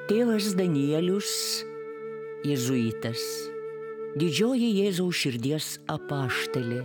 Tėvas Danielius, jėzuitas, didžioji Jėzaus širdies apaštalė,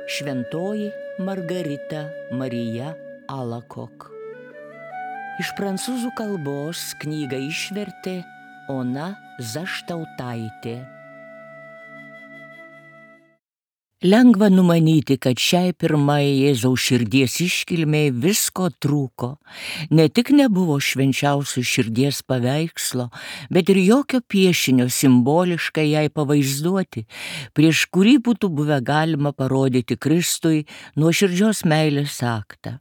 šventoji Margarita Marija Alacoque. Iš prancūzų kalbos knygą išvertė Ona Zaštautaitė. Lengva numanyti, kad šiai pirmai Jėzaus širdies iškilmei visko trūko. Ne tik nebuvo švenčiausio širdies paveikslo, bet ir jokio piešinio simboliškai jai pavaizduoti, prieš kurį būtų buvę galima parodyti Kristui nuoširdžios meilės aktą.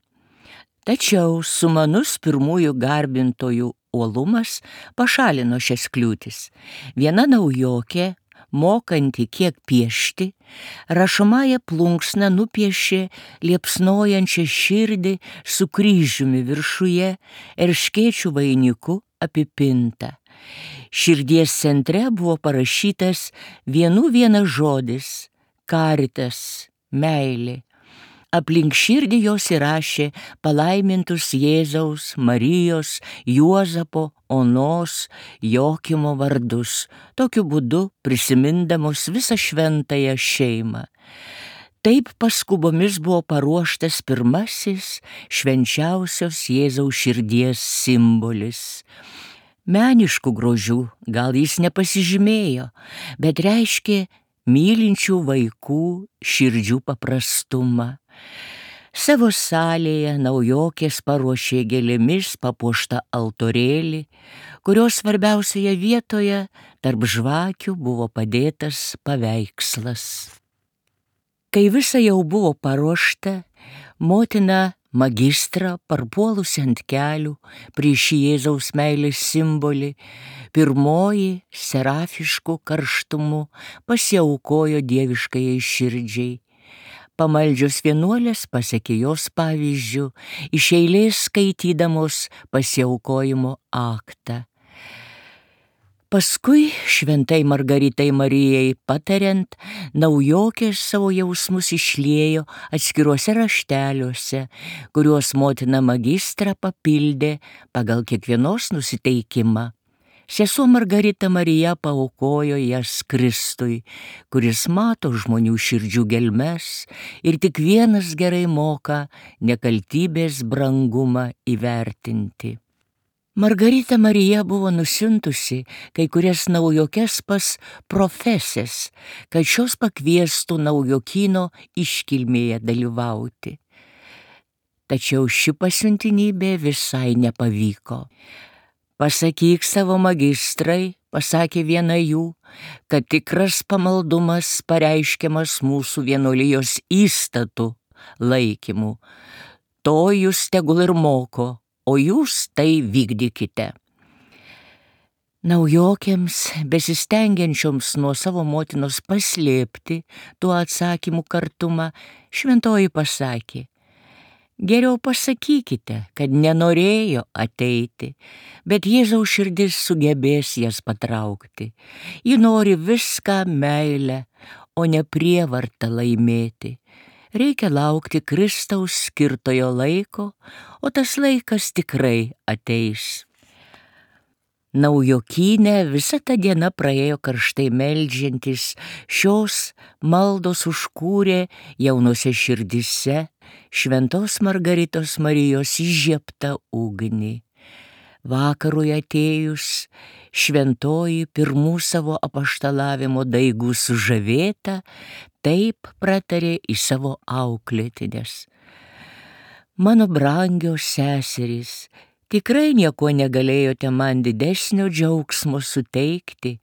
Tačiau sumanus pirmųjų garbintojų uolumas pašalino šias kliūtis. Viena naujokė, mokanti kiek piešti, rašomąją plunksną nupiešė liepsnojančią širdį su kryžiumi viršuje, erškėčių vainiku apipintą. Širdies centre buvo parašytas vienas žodis – caritas, meilė. Aplink širdį jos įrašė palaimintus Jėzaus, Marijos, Juozapo, Onos, Jokimo vardus, tokiu būdu prisimindamos visą šventąją šeimą. Taip paskubomis buvo paruoštas pirmasis švenčiausios Jėzaus širdies simbolis. Meniškų grožių gal jis nepasižymėjo, bet reiškė mylinčių vaikų širdžių paprastumą. Savo salėje naujokės paruošė gėlėmis papuoštą altorėlį, kurios svarbiausioje vietoje tarp žvakių buvo padėtas paveikslas. Kai visa jau buvo paruošta, motina magistrą parpuolusi ant kelių prieš Jėzaus meilės simbolį, pirmoji serafišku karštumu pasiaukojo dieviškajai širdžiai. Pamaldžios vienuolės pasekė jos pavyzdžiu, iš eilės skaitydamos pasiaukojimo aktą. Paskui šventai Margaritai Marijai patariant, naujokės savo jausmus išliejo atskiruose rašteliuose, kuriuos motina magistrą papildė pagal kiekvienos nusiteikimą. Sesuo Margarita Marija paaukojo jas Kristui, kuris mato žmonių širdžių gelmes ir tik vienas gerai moka nekaltybės brangumą įvertinti. Margarita Marija buvo nusiuntusi kai kurias naujokes pas profesės, kad šios pakviestų naujokyno iškilmėje dalyvauti. Tačiau ši pasiuntinybė visai nepavyko. Pasakyk savo magistrai, pasakė viena jų, kad tikras pamaldumas pareiškiamas mūsų vienuolijos įstatų laikymų. To jūs tegul ir moko, o jūs tai vykdykite. Naujokėms, besistengiančioms nuo savo motinos paslėpti tuo atsakymų kartumą, šventoji pasakė: geriau pasakykite, kad nenorėjo ateiti, bet Jėzaus širdis sugebės jas patraukti. Ji nori viską meilę, o ne prievartą laimėti. Reikia laukti Kristaus skirtojo laiko, o tas laikas tikrai ateis. Naujokynė visa ta diena praėjo karštai meldžiantis, šios maldos užkūrė jaunose širdise šventos Margaritos Marijos įžiebtą ugnį. Vakarui atėjus, šventoji pirmų savo apaštalavimo daigų sužavėta, taip pratarė į savo auklėtines: mano brangios seserys, tikrai nieko negalėjote man didesnio džiaugsmo suteikti,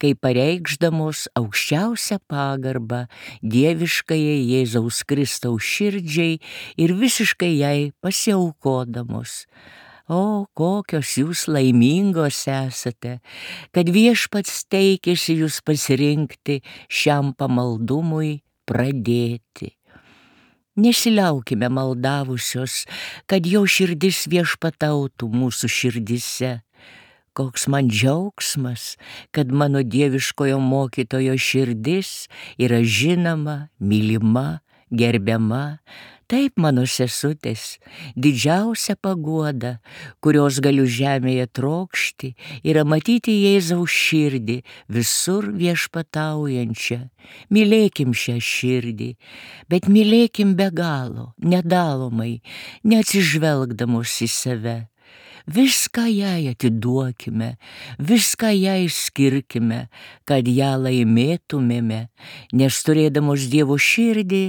kai pareikšdamos aukščiausią pagarbą dieviškajai Jėzaus Kristaus širdžiai ir visiškai jai pasiaukodamos. O, kokios jūs laimingos esate, kad viešpats teikėsi jūs pasirinkti šiam pamaldumui pradėti. Nesiliaukime maldavusios, kad jo širdis viešpatautų mūsų širdise. Koks man džiaugsmas, kad mano dieviškojo mokytojo širdis yra žinoma, mylima, gerbiama, Taip, mano sesutės, didžiausia paguoda, kurios galiu žemėje trokšti, yra matyti Jėzaus širdį visur viešpataujančią. Mylėkim šią širdį, bet mylėkim be galo, nedalomai, neatsižvelgdamos į save. Viską jai atiduokime, viską jai skirkime, kad ją laimėtumėme, nes turėdamos Dievo širdį,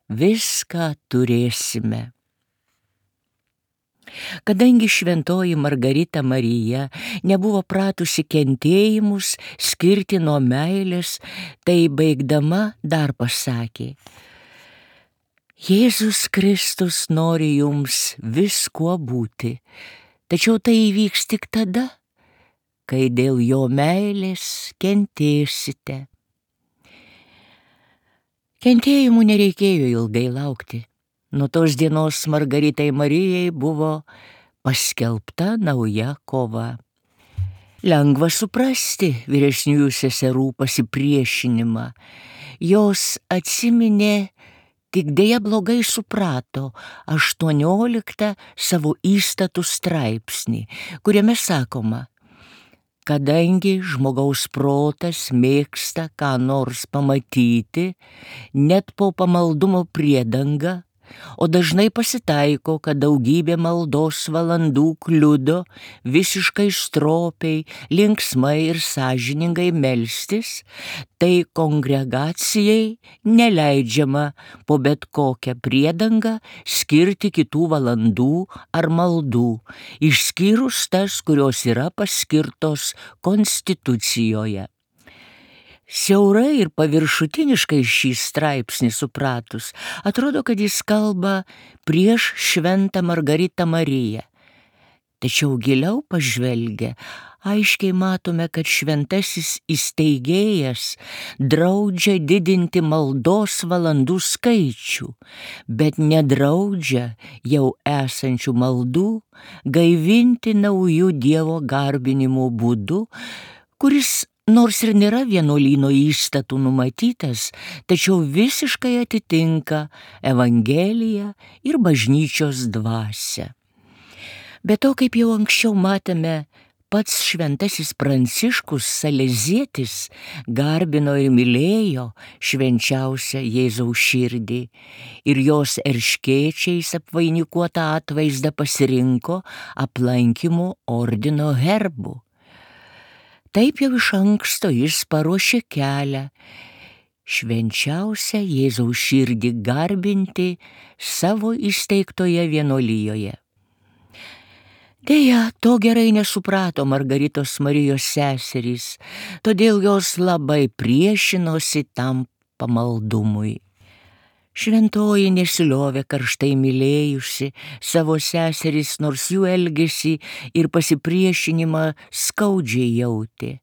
viską turėsime. Kadangi šventoji Margarita Marija nebuvo pratusi kentėjimus skirti nuo meilės, tai baigdama dar pasakė: Jėzus Kristus nori jums viskuo būti, tačiau tai įvyks tik tada, kai dėl jo meilės kentėsite. Kentėjimų nereikėjo ilgai laukti. Nuo tos dienos Margaritai Marijai buvo paskelbta nauja kova. Lengva suprasti vyresniųjų seserų pasipriešinimą. Jos atsiminė, tik dėja blogai suprato 18 savo įstatų straipsnį, kuriame sakoma: kadangi žmogaus protas mėgsta ką nors pamatyti, net po pamaldumo priedanga, o dažnai pasitaiko, kad daugybė maldos valandų kliudo visiškai stropiai, linksmai ir sąžiningai melstis, tai kongregacijai neleidžiama po bet kokią priedangą skirti kitų valandų ar maldų, išskyrus tas, kurios yra paskirtos konstitucijoje. Siaurai ir paviršutiniškai šį straipsnį supratus, atrodo, kad jis kalba prieš šventą Margaritą Mariją. Tačiau giliau pažvelgę, aiškiai matome, kad šventasis įsteigėjas draudžia didinti maldos valandų skaičių, bet nedraudžia jau esančių maldų gaivinti naujų Dievo garbinimo būdu, kuris nors ir nėra vienuolyno įstatų numatytas, tačiau visiškai atitinka Evangeliją ir bažnyčios dvasią. Be to, kaip jau anksčiau matėme, pats šventasis Pranciškus Salezietis garbino ir mylėjo švenčiausią Jėzaus širdį ir jos erškėčiais apvainikuotą atvaizdą pasirinko aplankymo ordino herbu. Taip jau iš anksto jis paruošė kelią švenčiausią Jėzaus širdį garbinti savo įsteigtoje vienuolijoje. Deja, to gerai nesuprato Margaritos Marijos seserys, todėl jos labai priešinosi tam pamaldumui. Šventoji nesiliovė karštai mylėjusi savo seseris, nors jų elgesį ir pasipriešinimą skaudžiai jautė.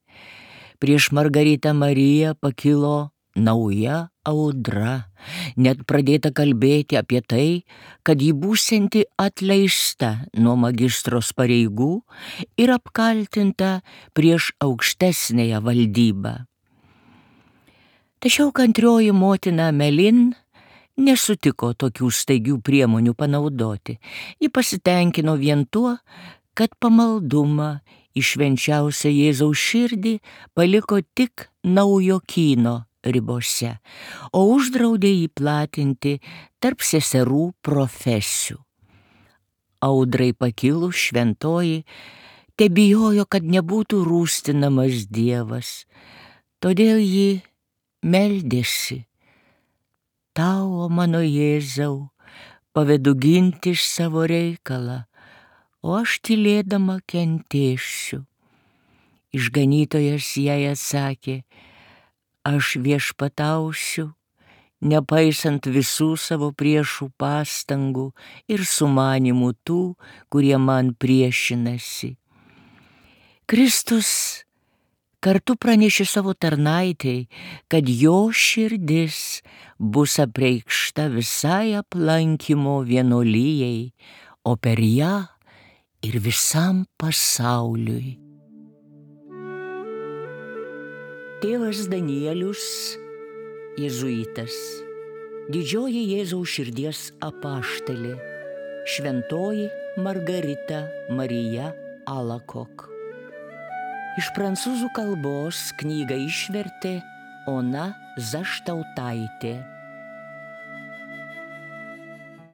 Prieš Margaritą Mariją pakilo nauja audra, net pradėta kalbėti apie tai, kad ji būsianti atleista nuo magistros pareigų ir apkaltinta prieš aukštesnėją valdybą. Tačiau kantrioji motina Melin nesutiko tokių staigių priemonių panaudoti. Ji pasitenkino vien tuo, kad pamaldumą į švenčiausią Jėzaus širdį paliko tik Naujokyno ribose, o uždraudė jį platinti tarp seserų profesių. Audrai pakilus šventoji tebijojo, kad nebūtų rūstinamas Dievas, todėl ji meldėsi: Tau, o mano Jėzau, pavedu ginti iš savo reikalą, o aš tylėdama kentėsiu. Išganytojas jai atsakė: aš viešpatausiu, nepaisant visų savo priešų pastangų ir sumanimų tų, kurie man priešinasi. Kristus kartu pranešė savo tarnaitei, kad jo širdis bus apreikšta visai aplankymo vienuolijai, o per ją ir visam pasauliui. Tėvas Danielius, jėzuitas, Didžioji Jėzaus širdies apaštalė, šventoji Margarita Marija Alakok. Iš prancūzų kalbos knygą išvertė Ona Zaštautaitė.